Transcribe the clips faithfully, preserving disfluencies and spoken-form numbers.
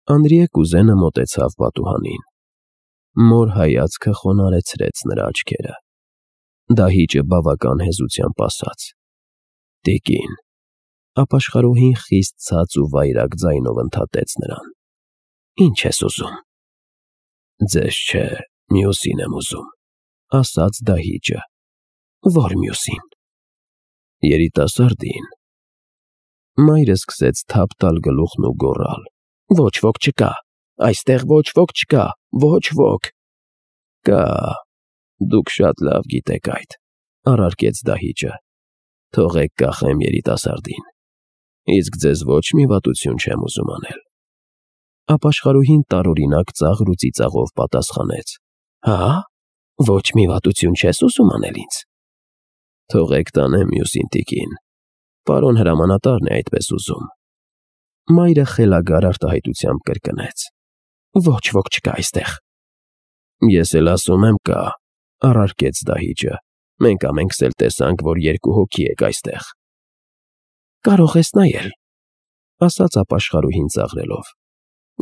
Անդրիե կուզենը մոտեցավ պատուհանին։ Մոր հայացքը խոնարհեցրեց նրա աչքերը։ Դահիճը բավական հեզությամբ ասաց. «Տիկին»։ Ապաշխարուհին խիստ ցած ու վայրագ ձայնով ընդհատեց նրան. «Ի՞նչ ես ուզում»։ «Ձեզ չէ, մյուսին եմ ուզում», ասաց դահիճը։ «Ո՞ր մյուսին»։ «Երիտասարդին»։ Մայրը սկսեց թափ տալ գլուխն ու գոռալ. «Ոչ ոք չկա, այստեղ ոչ ոք չկա, ոչ ոք»։ «Կա, դուք շատ լավ գիտեք այդ», առարկեց դահիճը։ «Թողեք կախեմ երիտասարդին, իսկ ձեզ ոչ մի վատություն չեմ ուզում անել»։ Ապաշխարուհին տարօրինակ ծաղր ու ծիծաղով պատասխանեց. «Հա՞, ոչ մի վատություն չես ուզում անել ինձ»։ «Թողեք տանեմ մյուսին, տիկին, պարոն հրամանատարն է այդպես ուզում»։ Մայրը խելագար արտահայտությամբ կրկնեց. «Ոչ ոք չկա այստեղ»։ «Ես էլ ասում եմ կա», առարկեց դահիճը։ «Մենք ամենքս էլ տեսանք, որ երկու հոգի եք այստեղ»։ «Կարող ես նայել», ասաց ապաշխարուհին ծաղրելով։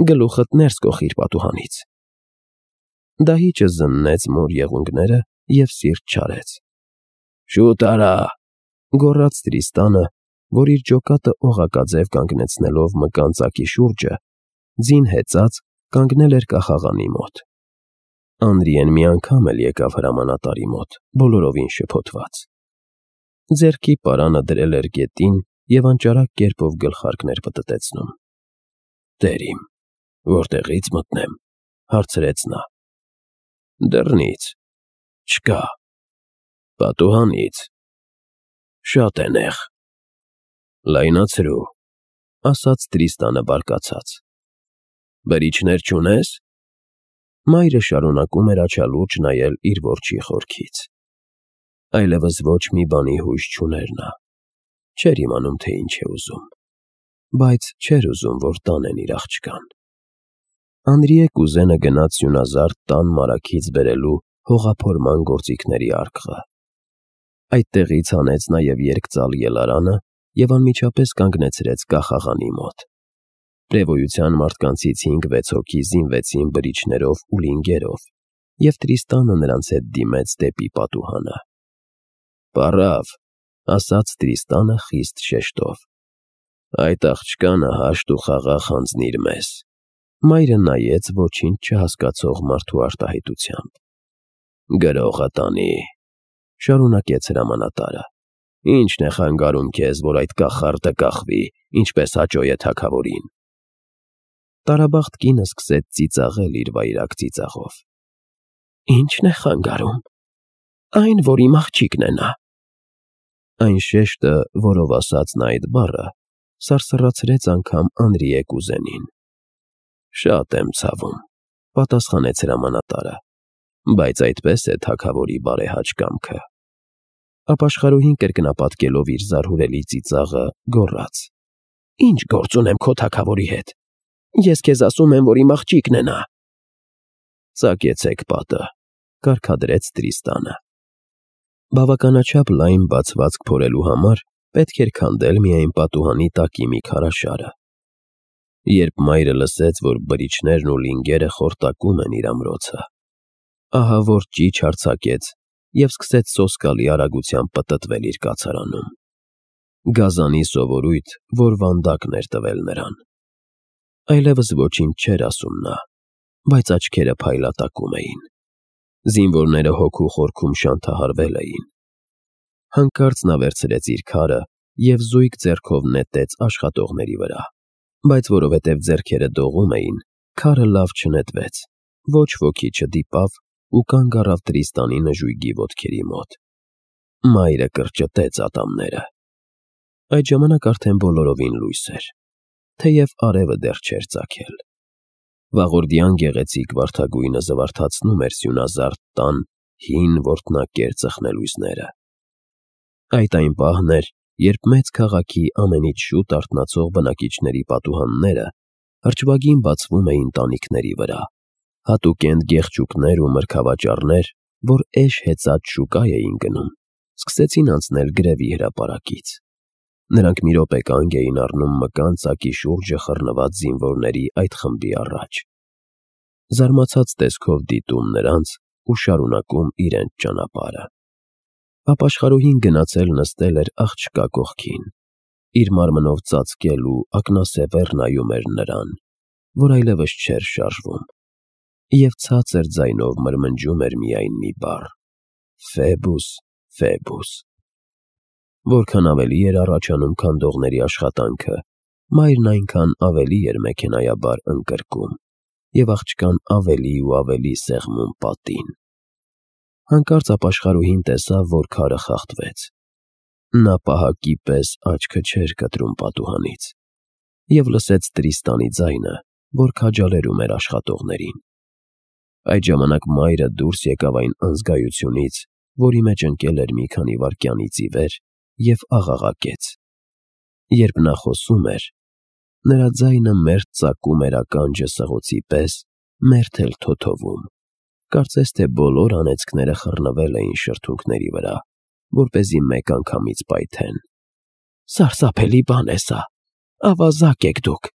«Գլուխդ ներս կոխիր պատուհանից»։ Դահիճը զննեց մոր եղունգները և սիրտ չարեց։ «Շուտ արա», գոռաց Տրիստանը, որ իր ջոկատը օղակաձև կանգնեցնելով մկան ծակի շուրջը, ձին հեծած կանգնել էր կախաղանի մոտ։ Անդրիեն մի անգամ էլ եկավ հրամանատարի մոտ, բոլորովին շփոթված։ Ձեռքի պարանը դրել էր գետին և անճարակ կերպով գլխարկներ պտտեցնում։ «Տեր իմ, որտեղի՞ց մտնեմ», հարցրեց նա։ «Դռնից»։ «Չկա»։ «Պատուհանից»։ «Շատ է նեղ»։ «Լայնացրու», ասաց Տրիստանը բարկացած։ «Բրիչներ չունես»։ Մայրը շարունակում էր աչալուրջ նայել իր որջի խորքից։ Այլևս ոչ մի բանի հույս չուներ նա։ Չէր իմանում, թե ինչ է ուզում, բայց չէր ուզում, որ տանեն իր աղջկան։ Անդրիե կուզենը գնաց սյունազարդ տան մարագից բերելու հողափորման գործիքների արկղը։ Այդտեղից հանեց նաև երկծալ ելարանը և անմիջապես կանգնեցրեց կախաղանի մոտ։ Պրևոյության մարդկանցից հինգ֊վեց հոգի զինվեցին բրիչներով ու լինգերով, և Տրիստանը նրանց հետ դիմեց դեպի պատուհանը։ «Պառավ», ասաց Տրիստանը խիստ շեշտով, «այդ աղջկանը հաշտ ու խաղաղ հանձնիր մեզ»։ Մայրը նայեց ոչինչ չհասկացող մարդու արտահայտությամբ։ «Գրողը տանի», շարունակեց հրամանատարը։ «Ի՞նչն է խանգարում քեզ, որ այդ կախարդը կախվի, ինչպես հաճո է թագավորին»։ Տարաբախտ կինը սկսեց ծիծաղել իր վայրագ ծիծաղով։ «Ի՞նչն է խանգարում։ Այն, որ իմ աղջիկն է նա»։ Այն շեշտը, որով ասաց նա այդ բառը, սարսռացրեց անգամ Անդրիե կուզենին։ «Շատ եմ ցավում», պատասխանեց հրամանատարը, «բայց այդպես է թագավորի բարեհաճ կամքը»։ Ապաշխարուհին կրկնապատկելով իր զարհուրելի ծիծաղը, գոռաց. «Ի՞նչ գործ ունեմ քո թագավորի հետ։ Ես քեզ ասում եմ, որ իմ աղջիկն է նա»։ «Ծակեցեք պատը», կարգադրեց Տրիստանը։ Բավականաչափ լայն բացվածք փորելու համար պետք էր քանդել միայն պատուհանի տակի մի քարաշարը։ Երբ մայրը լսեց, որ բրիչներն ու լինգերը խորտակում են իր ամրոցը, ահավոր ճիչ արձակեց և սկսեց սոսկալի արագությամբ պտտվել իր կացարանում։ Գազանի սովորույթ, որ վանդակն էր տվել նրան։ Այլևս ոչինչ չէր ասում նա, բայց աչքերը փայլատակում էին։ Զինվորները հոգու խորքում շանթահարվել էին։ Հանկարծ նա վերցրեց իր քարը և զույգ ձեռքով նետեց աշխատողների վրա, բայց որովհետև ձեռքերը դողում էին, քարը լավ չնետվեց, ոչ ոքի չդիպավ ու կանգ առավ Տրիստանի նժույգի ոտքերի մոտ։ Մայրը կրճտեց ատամները։ Այդ ժամանակ արդեն բոլորովին լույս էր, թեև արևը դեռ չէր ծագել։ Վաղորդյան գեղեցիկ վարդագույնը զվարթացնում էր սյունազարդ տան հին որտնակեր ծխնելույզները։ Այդ այն պահն էր, երբ մեծ քաղաքի ամենից շուտ արթնացող բնակիչների պատուհանները հրճվագին բացվում էին տանիքների վրա, հատուկենտ գեղչուկներ ու մրգավաճառներ, որ էշ հեծած շուկա էին գնում, սկսեցին անցնել գրևի հրապարակից։ Նրանք մի րոպե կանգ էին առնում մկան ծակի շուրջը խռնված զինվորների այդ խմբի առաջ, զարմացած տեսքով դիտում նրանց ու շարունակում իրենց ճանապարհը։ Ապաշխարուհին գնացել նստել էր աղջկա կողքին, իր մարմնով ծածկել ու ակնասևեռ նայում էր նրան, որ այլևս չէր շարժվում, և ցածր ձայնով մրմնջում էր միայն մի բառ. «Ֆեբուս, Ֆեբուս»։ Որքան ավելի էր առաջանում քանդողների աշխատանքը, մայրն այնքան ավելի էր մեքենայաբար ընկրկում և աղջկան ավելի ու ավելի սեղմում պատին։ Հանկարծ ապաշխարուհին տեսավ, որ քարը խախտվեց։ Նա պահակի պես աչքը չէր կտրում պատուհանից և լսեց Տրիստանի ձայնը, որ քաջալերում էր աշխատողներին։ Այդ ժամանակ մայրը դուրս եկավ այն անզգայությունից, որի մեջ ընկել էր մի քանի վայրկյանից ի վեր, և աղաղակեց։ Երբ նա խոսում էր, նրա ձայնը մերթ ծակում էր ականջը սղոցի պես, մերթ էլ թոթովում, կարծես թե բոլոր անեծքները խռնվել էին շրթունքների վրա, որպեսզի մեկ անգամից պայթեն։ «Սարսափելի բան է սա, ավազակ եք դուք,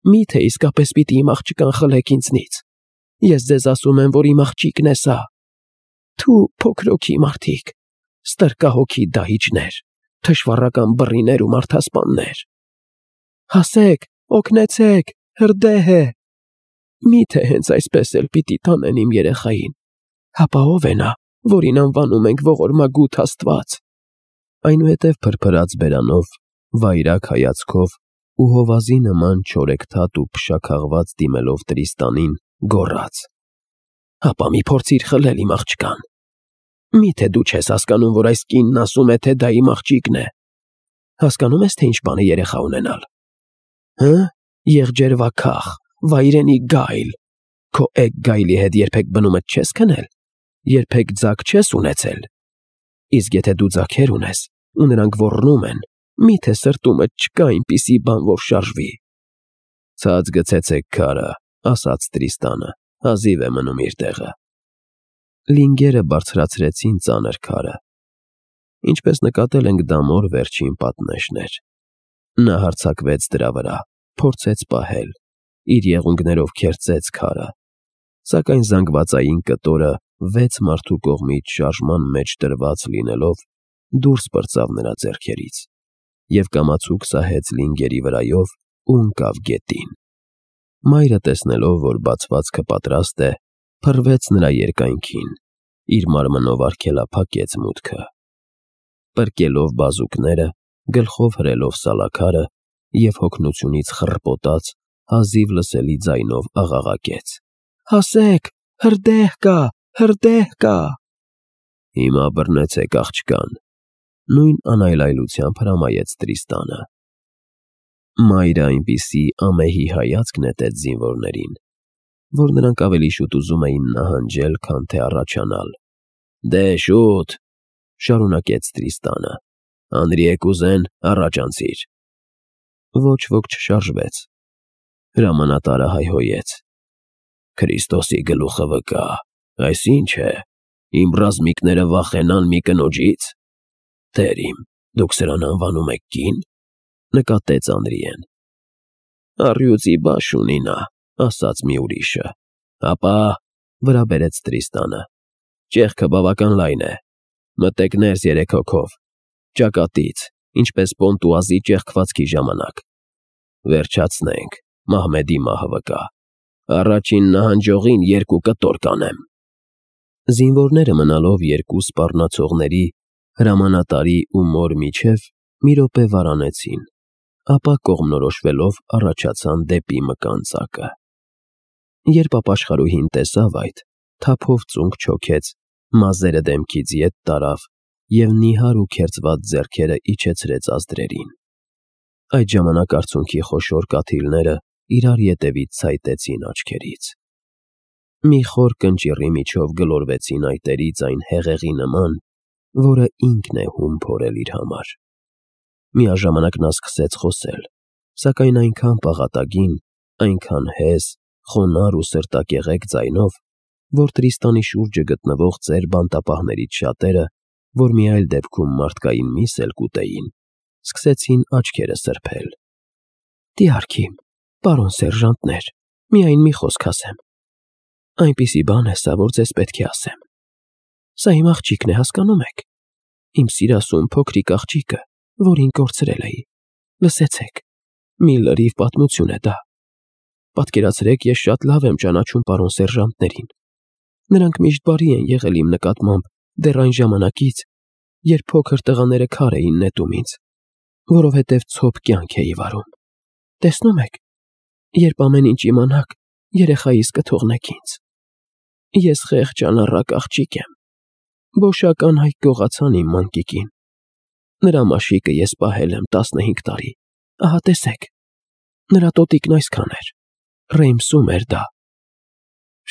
մի՞թե իսկապես պիտի իմ աղջկան խլեք ինձնից։ Ես ձեզ ասում եմ, որ իմ աղջիկն է սա։ Թու, փոքրոքի մարդիկ, ստրկահոգի դահիճներ, թշվառական բռիներ ու մարդասպաններ։ Հասեք, օգնեցեք, հրդեհ է։ Մի՞թե հենց այսպես էլ պիտի տանեն իմ երեխային, հապա ով է նա, որին անվանում ենք ողորմագութ Աստված»։ Այնուհետև փրփրած բերանով, վայրագ հայացքով ու հովազի նման չորեքթաթ ու փշաքաղված դիմելով Տրիստանին, գոռաց. «Հապա մի փորձիր խլել իմ աղջկան։ Մի՞թե դու չես հասկանում, որ այս կինն ասում է, թե դա իմ աղջիկն է։ Հասկանո՞ւմ ես, թե ինչ բան է երեխա ունենալ։ Հը՞, եղջերվաքաղ, վայրենի գայլ, քո էգ գայլի հետ երբեք բնումդ չես քնել, երբեք ձագ չես ունեցել։ Իսկ եթե դու ձագեր ունես, ու նրանք ոռնում են, մի՞թե սրտումդ չկա այնպիսի բան, որ շարժվի»։ «Ցած գցեցեք քարը», ասաց Տրիստանը, հազիվ է մնում իր տեղը։ Լինգերը բարձրացրեցին ծանր քարը։ Ինչպես նկատել ենք, դա մոր վերջին պատնեշն էր։ Նա հարձակվեց դրա վրա, փորձեց պահել, իր եղունգներով քերծեց քարը, սակայն զանգվածային կտորը վեց մարդու կողմից շարժման մեջ դրված լինելով, դուրս պրծավ նրա ձեռքերից և կամացուկ սահեց լինգերի վրայով ու ընկավ գետին։ Մայրը, տեսնելով, որ բացվածքը պատրաստ է, փռվեց նրա երկայնքին, իր մարմնով արգելափակեց մուտքը։ Պրկելով բազուկները, գլխով հրելով սալաքարը և հոգնությունից խռպոտած, հազիվ լսելի ձայնով աղաղակեց. «Հասեք, հրդեհ կա, հրդեհ կա»։ «Հիմա բռնեցեք աղջկան», նույն անայլայլությամբ հրամայեց Տրիստանը։ Մայրը այնպիսի ամեհի հայացք նետեց զինվորներին, որ նրանք ավելի շուտ ուզում էին նահանջել, քան թե առաջանալ։ «Դե շուտ», շարունակեց Տրիստանը, «անրի է կուզեն, առաջ անցիր»։ Ոչ ոք չշարժվեց։ Հրամանատարը հայհոյեց. «Քրիստոսի գլուխը վկա, այս ի՞նչ է, իմ ռազմիկները վախենան մի կնոջից։ Տեր իմ, դուք սրան անվանում եք կի՞ն», նկատեց Անրիեն։ «Առյուծի բաշ ունի նա», ասաց մի ուրիշը։ «Հապա», վրա բերեց Տրիստանը, «ճեղքը բավական լայն է, մտեք ներս երեք հոգով, ճակատից, ինչպես Պոնտուազի ճեղքվածքի ժամանակ։ Վերջացնենք, Մահմեդի մահը վկա, առաջին նահանջողին երկու կտոր կանեմ»։ Զինվորները մնալով երկու սպառնացողների, հրամանատարի ու մոր միջև, մի րոպե վարանեցին, ապա կողմնորոշվելով առաջացան դեպի մկան ծակը։ Երբ ապաշխարուհին տեսավ այդ, թափով ծունկ չոքեց, մազերը դեմքից ետ տարավ և նիհար ու քերծված ձեռքերը իջեցրեց ազդրերին։ Այդ ժամանակ արցունքի խոշոր կաթիլները իրար ետևից ցայտեցին աչքերից։ Մի խոր կնճիռի միջով գլորվեցին այտերից այն հեղեղի նման, որը ինքն է հում փորել իր համար։ Միաժամանակ նա սկսեց խոսել, սակայն այնքան պաղատագին, այնքան հեզ, խոնարհ ու սրտակեղեկ ձայնով, որ Տրիստանի շուրջը գտնվող ծեր բանտապահներից շատերը, որ մի այլ դեպքում մարդկային միս էլ կուտեին, սկսեցին աչքերը սրբել։ Դիարքիմ, պարոն սերժանտներ, միայն մի խոսք ասեմ։ Այնպիսի բան է սա, որ ձեզ պետք է ասեմ։ Սա իմ աղջիկն է, հասկանում եք։ Իմ սիրասուն փոքրիկ աղջիկը, որին կորցրել էի։ Լսեցեք, մի լրիվ պատմություն է դա։ Պատկերացրեք, ես շատ լավ եմ ճանաչում պարոն սերժանտներին։ Նրանք միշտ բարի են եղել իմ նկատմամբ դեռ այն ժամանակից, երբ փոքր տղաները քար էին նետում ինձ, որովհետև ցոփ կյանք էի վարում։ Տեսնում եք, երբ ամեն ինչ իմանաք, երեխայիս կթողնեք ինձ։ Ես խեղճ անառակ աղջիկ եմ։ Բոշական հայք գողացան իմ մանկիկին։ Նրա մաշիկը ես պահել եմ տասնհինգ տարի։ Ահա տեսեք, նրա տոտիկն այսքան էր։ Ռեյմսում էր դա։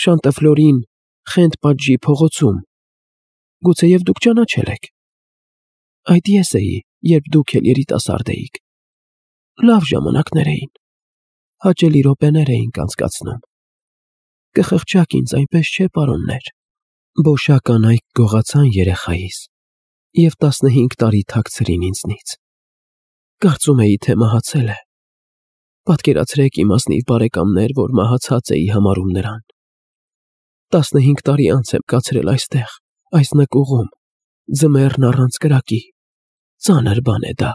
Շանտըֆլորին, Խենթ պատժի փողոցում։ Գուցեև դուք ճանաչել եք։ Այդ ես էի, երբ դուք էլ երիտասարդ էիք։ Լավ ժամանակներ էին։ Հաճելի րոպեներ էինք անցկացնում։ Կխղճաք ինձ, այնպես չէ, պարոններ։ Բոշական այք գողացան երեխայիս և տասնհինգ տարի թաքցրին ինձնից։ Կարծում էի, թե մահացել է։ Պատկերացրեք իմ ազնիվ բարեկամներ, որ մահացած էի համարում նրան։ Տասնհինգ տարի անց եմ կացրել այստեղ, այս նկուղում, ձմեռն առանց կրակի։ Ծանր բան է դա։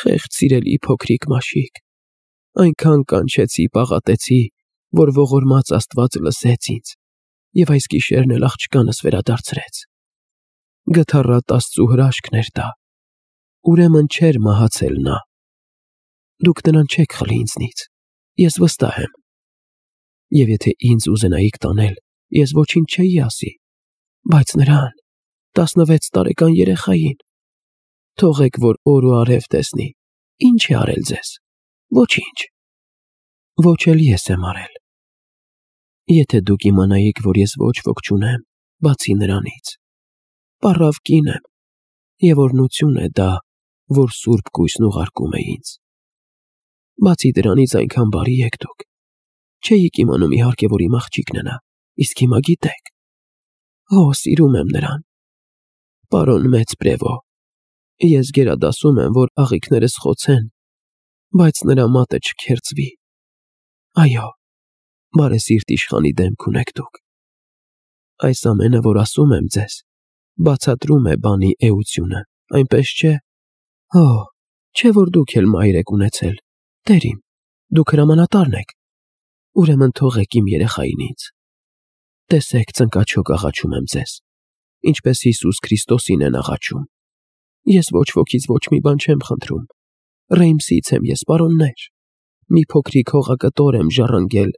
Խեղճ սիրելի փոքրիկ մաշիկ։ Այնքան կանչեցի, պաղատեցի, որ ողորմած Աստված լսեց ինձ և այս գիշերն էլ աղջկանս վերադարձրեց։ Գթառատ Աստծու հրաշքն էր դա։ Ուրեմն չէր մահացել նա։ Դուք նրան չեք խլի ինձնից, ես վստահ եմ։ Եվ եթե ինձ ուզենայիք տանել, ես ոչինչ չէի ասի, բայց նրան, տասնվեց տարեկան երեխային, թողեք, որ օր ու արև տեսնի, ինչ է արել ձեզ, ոչինչ, ոչ էլ ես եմ արել։ Եթե դուք իմանայիք, որ ես ոչ ոք չունեմ, բացի նրանից, պառավ կին եմ, և օրհնություն է դա, որ սուրբ կույսն ուղարկում է ինձ։ Բացի դրանից այնքան բարի եք դուք։ Չէիք իմանում իհարկե, որ իմ աղջիկն է նա, իսկ հիմա գիտեք։ Օ, սիրում եմ նրան։ Պարոն մեծ Պրևո, ես գերադասում եմ, որ աղիքներս խոցեն, բայց նրա մատը չքերծվի։ Այո, բարեսիրտ իշխանի դեմք ունեք դուք։ Այս ամենը, որ ասում եմ ձեզ, բացատրում է բանի էությունը, այնպես չէ։ Օ, չէ որ դուք էլ մայր եք ունեցել, տեր իմ, դուք հրամանատարն եք։ Ուրեմն թողեք իմ երեխային ինձ։ Տեսեք, ծնկաչոք աղաչում եմ ձեզ, ինչպես Հիսուս Քրիստոսին են աղաչում։ Ես ոչ ոքից ոչ մի բան չեմ խնդրում։ Ռեյմսից եմ ես, պարոններ։ Մի փոքրիկ հողակտոր եմ ժառանգել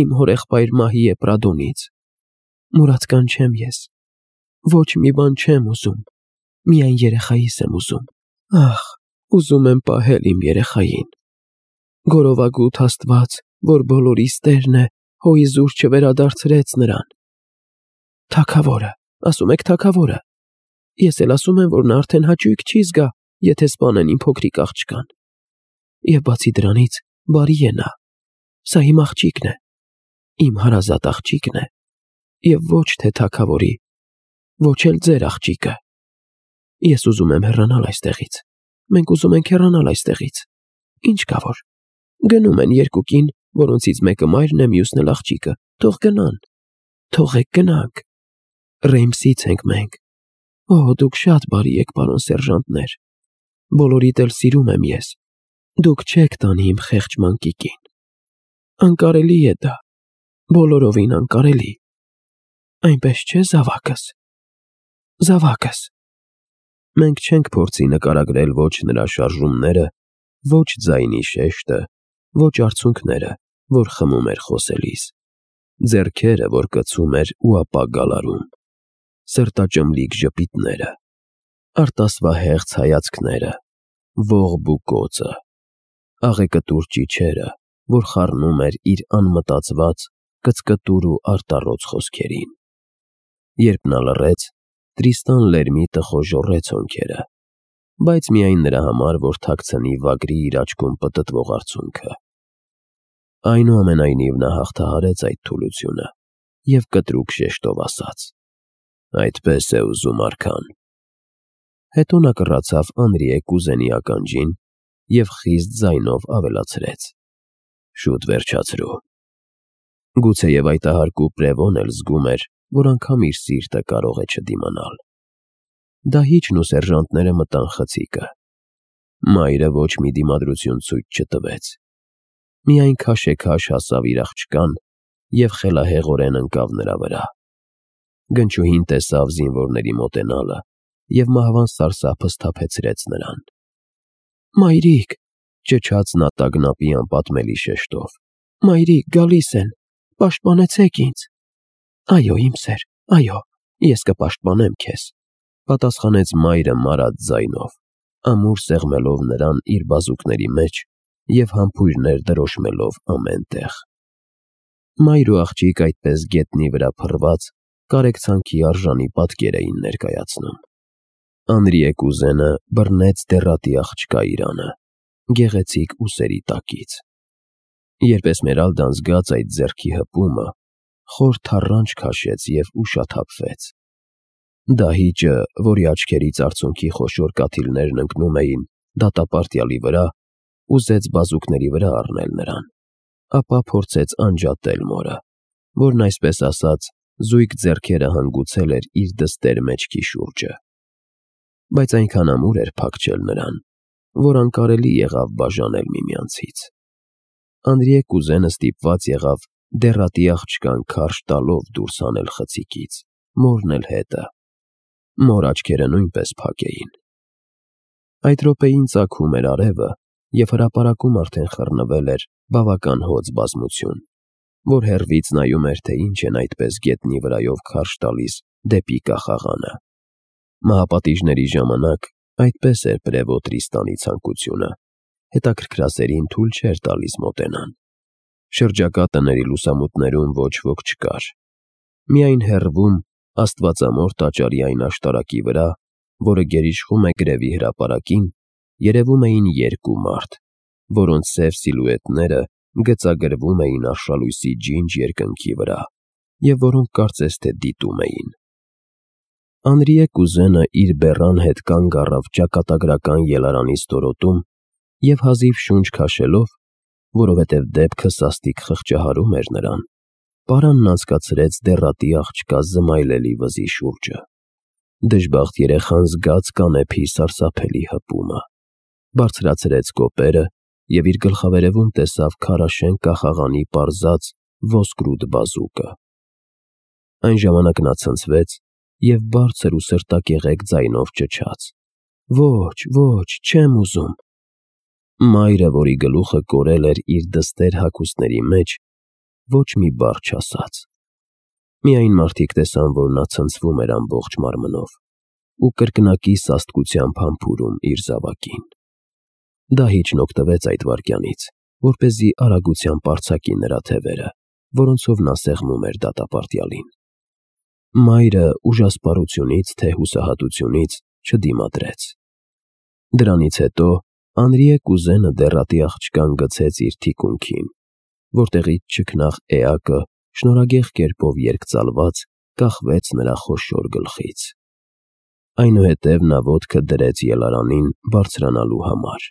իմ հորեղբայր Մահիե Պրադոնից։ Մուրացկան չեմ ես։ Ոչ մի բան չեմ ուզում, միայն երեխայիս եմ ուզում։ Ախ, ուզում եմ պահել իմ երեխային։ Գորովագութ Աստված, որ բոլորիս Տերն է, հոիզուր չվերադարձրեց նրան։ Թագավորը, ասում եք թագավորը։ Ես էլ ասում եմ, որ նա արդեն հաճույք չի զգա, եթե սպանեն իմ փոքրիկ աղջկան։ Եվ բացի դրանից, բարի է նա։ Սա իմ աղջիկն է, իմ հարազատ աղջիկն է, և ոչ թե թագավորի, ոչ էլ ձեր աղջիկը։ Ես ուզում եմ հեռանալ այստեղից։ Մենք ուզում ենք հեռանալ այստեղից։ Ինչ կա որ։ Գնում են երկուքին, որոնցից մեկը մայրն է, մյուսն էլ աղջիկը։ Թող գնան։ Թողեք գնանք։ Ռեյմսից ենք մենք։ Օ, դուք շատ բարի եք, պարոն սերժանտներ։ Բոլորիդ էլ սիրում եմ ես։ Դուք չեք տանի իմ խեղճ մանկիկին։ Անկարելի է դա։ Բոլորովին անկարելի։ Այնպես չէ, զավակս։ Զավակս։ Մենք չենք փորձի նկարագրել ոչ նրա շարժումները, ոչ ձայնի շեշտը, ոչ արցունքները, որ խմում էր խոսելիս, ձեռքերը, որ կծում էր ու ապա գալարում, սրտաճմլիկ ժպիտները, արտասվահեղձ հայացքները, ողբ ու կոծը, աղեկտուր ճիչերը, որ խառնում էր իր անմտածված, կծկտուր ու արտառոց խոսքերին։ Երբ նա լռեց, Տրիստան Լերմիտը խոժոռեց հոնքերը, բայց միայն նրա համար, որ թաքցնի վագրի իր աչքում պտտվող արցունքը։ Այնուամենայնիվ նա հաղթահարեց այդ թուլությունը և կտրուկ շեշտով ասաց. Այդպես է ուզում արքան։ Հետո նա կռացավ Անրիե կուզենի ականջին և խիստ ձայնով ավելացրեց. «Շուտ վերջացրու»։ Գուցեև այդ ահարկու Պրևոն էլ զգում էր, որ անգամ իր սիրտը կարող է չդիմանալ։ Դահիճն ու սերժանտները մտան խցիկը։ Մայրը ոչ մի դիմադրություն ցույց չտվեց։ Միայն քաշեքաշ հասավ իր աղջկան և խելահեղորեն ընկավ նրա վրա։ Գնչուհին տեսավ զինվորների մոտենալը և մահվան սարսափը սթափեցրեց նրան։ «Մայրիկ», ճչաց նա տագնապի անպատմելի շեշտով, «Մայրիկ, գալիս են, պաշտպանեցեք ինձ»։ «Այո, իմ սեր, այո, ես կպաշտպանեմ քեզ», պատասխանեց մայրը մարած ձայնով, ամուր սեղմելով նրան իր բազուկների մեջ և համբույրներ դրոշմելով ամեն տեղ։ Մայր ու աղջիկ այդպես գետնի վրա փռված կարեկցանքի արժանի պատկեր էին ներկայացնում։ Անրիե կուզենը բռնեց դեռատի աղջկա իրանը, գեղեցիկ ուսերի տակից։ Երբ Էսմերալդան զգաց այդ ձեռքի հպումը, խոր թառանչ քաշեց և ուշաթափվեց։ Դահիճը, որի աչքերից արցունքի խոշոր կաթիլներն ընկնում էին դատապարտյալի վրա, ուզեց բազուկների վրա առնել նրան, ապա փորձեց անջատել մորը, որն այսպես ասած զույգ ձեռքերը հանգուցել էր իր դստեր մեջքի շուրջը։ Բայց այնքան ամուր էր փախչել նրան, որ անկարելի եղավ բաժանել միմյանցից։ Անրիե կուզենը ստիպված եղավ դեռատի աղջկան քարշ տալով դուրս հանել խցիկից, մորն էլ հետը։ Մոր աչքերը նույնպես փակ էին։ Այդ րոպեին ծագում էր արևը, և հրապարակում արդեն խռնվել էր բավական հոծ բազմություն, որ հեռվից նայում էր, թե ինչ են այդպես գետնի վրայով քարշ տալիս դեպի կախաղանը։ Մահապատիժների ժամանակ այդպես էր Պրևո Տրիստանի ցանկությունը, հետաքրքրասերին թույլ չէր տալիս մոտենան։ Շրջակա տների լուսամուտներում ոչ ոք չկար։ Միայն հեռվում, աստվածամոր տաճարի այն աշտարակի վրա, որը գերիշխում է գրևի հրապարակին, երևում էին երկու մարդ, որոնց սև սիլուետները գծագրվում էին արշալույսի ջինջ երկնքի վրա և որոնք կարծես թե դիտում էին։ Անրիե կուզենը իր բեռան հետ կանգ առավ ճակատագրական ելարանի ստորոտում և հազիվ շունչ քաշելով, որովհետև դեպքը սաստիկ խղճահարում էր նրան, պարանն անցկացրեց դեռատի աղջկա զմայլելի վզի շուրջը։ Դժբախտ երեխան զգաց կանեփի սարսափելի հպումը, բարձրացրեց կոպերը և իր գլխավերևում տեսավ քարաշեն կախաղանի պարզած ոսկրուտ բազուկը։ Այն ժամանակ նա ցնցվեց և բարձր ու սրտակեղեկ ձայնով ճչաց. «Ոչ, ոչ, չեմ ուզում»։ Մայրը, որի գլուխը կորել էր իր դստեր հագուստների մեջ, ոչ մի բառ չասաց։ Միայն մարդիկ տեսան, որ նա ցնցվում էր ամբողջ մարմնով ու կրկնակի սաստկությամբ համբուրում իր զավակին։ Դահիճն օգտվեց այդ վայրկյանից, որպեսզի արագությամբ արձակի նրա թևերը, որոնցով նա սեղմում էր դատապարտյալին։ Մայրը ուժասպառությունից թե հուսահատությունից չդիմադրեց։ Դրանից հետո Անրիե կուզենը դեռատի աղջկան գցեց իր թիկունքին, որտեղից չքնաղ էակը շնորհագեղ կերպով երկծալված կախվեց նրա խոշոր գլխից։ Այնուհետև նա ոտքը դրեց ելարանին բարձրանալու համար։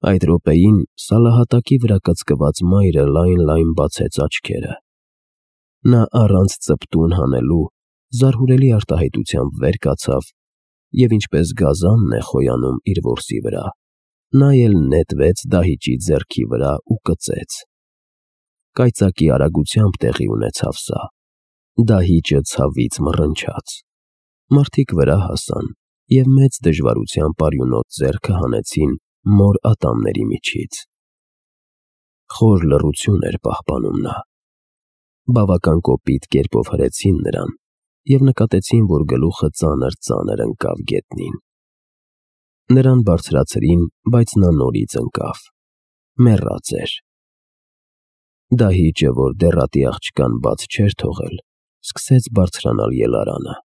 Այդ րոպեին սալահատակի վրա կծկված մայրը լայն֊լայն բացեց աչքերը։ Նա առանց ծպտուն հանելու զարհուրելի արտահայտությամբ վեր կացավ և ինչպես գազանն է խոյանում իր որսի վրա, նա էլ նետվեց Դահիճի ձեռքի վրա ու կծեց։ Կայծակի արագությամբ տեղի ունեցավ սա։ Դահիճը ցավից մռնչաց։ Մարդիկ վրա հասան և մեծ դժվարությամբ արյունոտ ձեռքը հանեցին մոր ատամների միջից։ Խոր լռություն էր պահպանում նա։ Բավական կոպիտ կերպով հրեցին նրան և նկատեցին, որ գլուխը ծանր֊ծանր ընկավ գետնին։ Նրան բարձրացրին, բայց նա նորից ընկավ։ Մեռած էր։ Դահիճը, որ դեռատի աղջկան բաց չէր թողել, սկսեց բարձրանալ ելարանը։